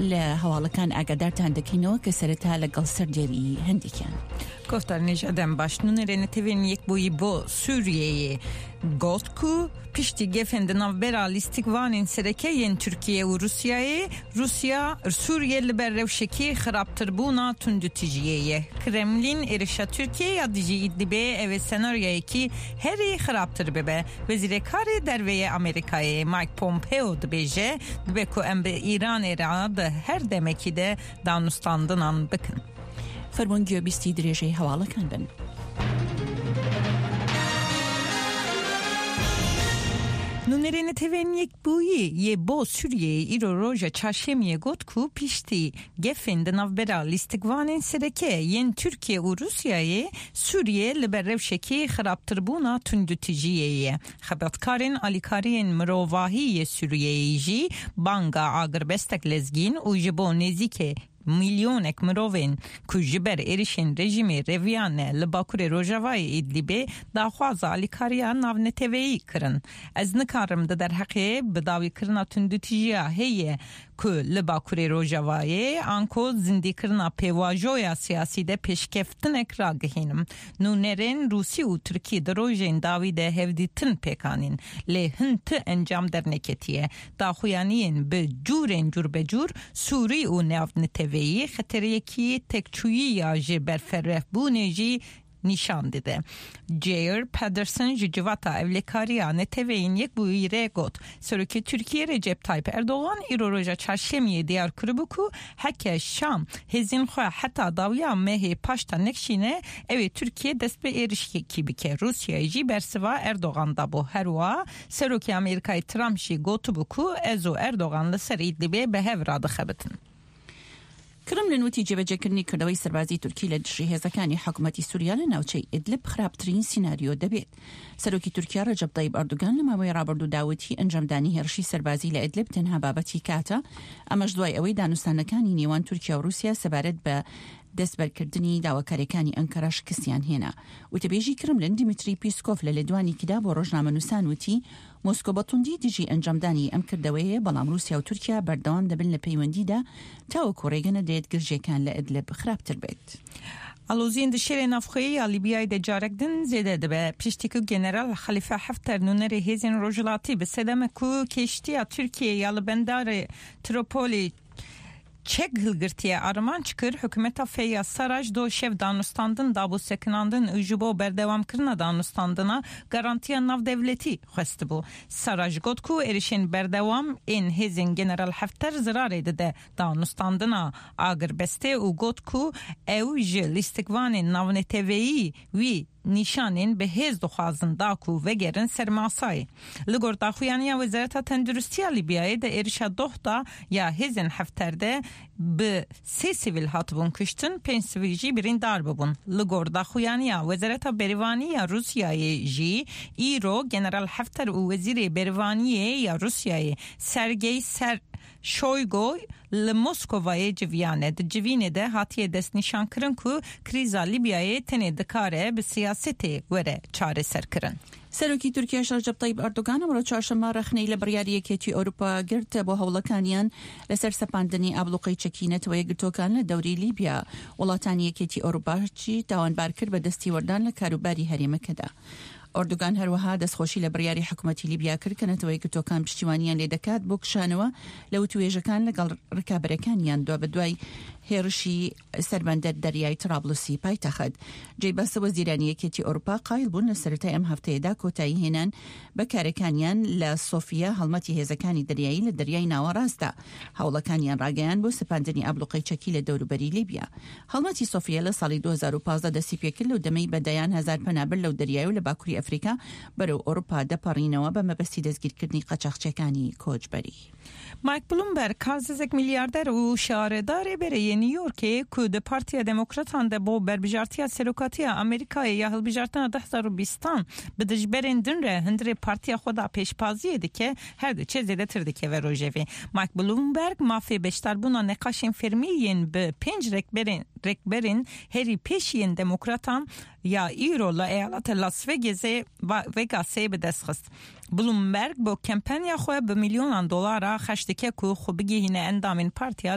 لە هەواڵەکان ئاگادارتان دەکەینەوە کە سەرەتا لەگەڵ سەردێری هەندێکیان. گۆڤدار نژادم باش نûnerê Netewên Yekbûyî bo Sûriyeyê got ku piştî gefên di navbera lîstikvanên sereke yên Tirkiye û Rûsyayê, Rûsya Sûriye li ber rewşekî xirabtirbûna tundûtîjiyê ye. Kremlîn êrişa Tirkiye ya dijî Îdlibê ew ê senaryoyekî herî xirabtir bibe. Wezîrê Karê Derve yê Amerîkayê Mike Pompeo dibêje, dibe ku em bi Îranê re di her demekî de danûstandinan bikin. فەرموون گوێبیستی درێژەی هەواڵەکان بن. Nûnerê Netewên Yekbûyî yê bo Sûriyeyê îro roja Çarşemiyê got ku piştî gefên di navbera lîstikvanên sereke yên Tirkiye û Rûsyayê, Sûriye li ber rewşekî xirabtirbûna tundûtîjiyê ye. Xebatkarên alîkariyên mirovahî yê Sûriyeyê jî banga agirbestek lezgîn û ji bo nêzîkê milyonek mirovên ku ji ber êrişên rejîmê reviyane li bakurê rojavayê Îdlibê daxwaza alîkariya navneteweyî kirin. Ez nikarim di derheqê bidawîkirina tundûtîjiya heye ku li bakurê rojavayê anko zindîkirina pêvajoya siyasî de pêşkeftinek ragihînim. Nûnerên Rûsî û Tirkî di rojên dawî de hevdîtin pêk anîn lê hin ti encam derneketiye. Daxuyaniyên bi cûrên cûrbecûr Sûrî û navneteweyî xetereyekî têkçûyî ya ji berferehbûnê jî nîşan dide. Geir Pedersen ji Civata Ewlekariya Neteweyên Yekbûyî re got, Serokê Tirkiyê Recep Tayyip Erdogan îro roja Çarşemiyê diyar kiribû ku heke Şam hêzên xwe heta dawiya mehê paşta nekşîne ew ê Tirkiye dest bi êrişekî bike. Rûsyayê jî bersiva Erdogan dabû. Her wiha Serokê Amerîkayê Trump jî gotibû ku ez û Erdogan li ser Îdlibê bi hev re dixebitin. کرملن وتی جێبەجێکردنی کردەوەی سەربازی تورکی لە دژی هێزەکانی حکومەتی سوریا لە ناوچەی ئیدلب خراپترین سیناریۆ دەبێت. سەرۆکی تورکیا رەجەب تەیب ئەردوگان لە ماوەی رابردوودا وتی ئەنجامدانی هێرشی سەربازی لە ئیدلب تەنها بابەتی کاتە، ئەمەش دوای ئەوەی دانوستانەکانی نێوان تورکیا و روسیا سەبارەت بە دەستبەرکردنی داواکاریەکانی ئەنکەرە شکستیان هێنا. وتەبێژی کرملن دیمیتری پیسکۆف لە لێدوانێکیدا بۆ ڕۆژنامەنووسان وتی، مۆسکۆ بە توندی دژی ئەنجامدانی ئەم کردەوەیەیە، بەڵام ڕووسیا و تورکیا بەردەوام دەبن لە پەیوەندیدا تاوەکو ڕێگە نەدرێت گرژییەکان لە ئیدلب خراپتر بێت. Aloziyên di şerê navxweyî ya Lîbyayê de carek din zêde dibe. Piştî ku General Xelîfe Hefter nûnerê hêzên Rojhilatî bi sedema ku keştiya Tirkiyeyê ya li bendarê Tropolê Çek hilgirtiye armanc kir, hikûmeta Feyyaz Saraj do şev danûstandin dabû sekinandin û ji bo berdewamkirina danûstandina garantiya navdewletî xwestibû. Saraj got ku êrişên berdewam ên hêzên General Hefter zirarê dide danûstandina agirbestê û got ku ew ji lîstikvanên navneteweyî wî nîşanên bi hêz dixwazin da ku vegerin ser masayê. Li gor daxuyaniya Wezareta Tenduristiya Lîbyayê di êrişa doh da ya hêzên Hefter de bi sê sivîl hatibûn kuştin, pênc sivîl jî birîndar bûbûn. Li gor daxuyaniya Wezareta Berivanî ya Rûsyayê jî îro General Hefter û Wezîrê Berivaniyê ya Rûsyayê Sergey Ser Şoygo li Moskovayê civiyane. Di civînê de hatiye destnîşankirin ku krîza Lîbyayê tenê dikare bi siyasetê were çareserkirin. سەرۆکی تورکیاش ڕەجەب تەیب ئەردۆگان ئەمڕۆ چوارشەممە ڕەخنەی لە بڕیاری یەکێتی ئەوروپا گرت بۆ هەوڵەکانیان لەسەر سەپاندنی ئابڵوقەی چەکی نەتەوە یەکگرتووەکان لە دەوری لیبیا. وڵاتانی یەکێتی ئەوروپاشی تاوانبار کرد بە دەستیوەردان لە کاروباری هەرێمەکەدا. ئۆردوگان هەروەها دەستخۆشی لە بڕیاری حکومەتی لیبیا کرد کە نەتەوە یەکگرتووەکان پشتیوانیان لێدەکات بۆ کشانەوە لە وتووێژەکان لەگەڵ ڕکابەرەکانیان دوابەدوای هێڕشی سەر بەندەر دەریای ترابلسی پایتەخت. جێی باسە وەزیرانی یەکێتی ئەوروپا قایل بوون لە سەرەتای ئەم هەفتەیەدا کۆتایی هێنان بە کارەکانیان لە سۆفیە هەڵمەتی هێزەکانی دەریایی لە دەریای ناوەڕاستدا هەوڵەکانیان ڕاگەیاند بۆ سەپاندنی ئابڵوقەی چەکی لە دەوروبەری لیبیا. هەڵمەتی سۆفیە لە ساڵی 2015 دەستی پێکرد لەو دەمەی بە دەیان هەزار پەنابەر لەو دەریای و لە باکوری ئەفریکا بەرەو ئەوروپا دەپەڕینەوە بە مەبەستی دەستگیرکردنی قاچاخچیەکانی کۆچبەری. مایک بلومبەرگ، کارززێک میلیاردەر و شارەدارê berê yê New Yorkê ku di Partiya Demokratan de bo berbijartiya Serokatiya Amerîkayê ya hilbijartina 2020 an bi dijberên din re hundirê partiya xwe da pêşpaziyê dike, her diçe zêdetir dikeve rojevê. Mike Bloomberg mafê beşdarbûna neqaşên fermî yên bi pênc rekberên rekberên herî pêş yên Demokratan ya îro li eyaleta Las Vegasê Vegasê bi dest xist. Bloomberg bo kempenya xwe bi milyonan dolara xerc dike ku xwe bigihîne endamên Partiya.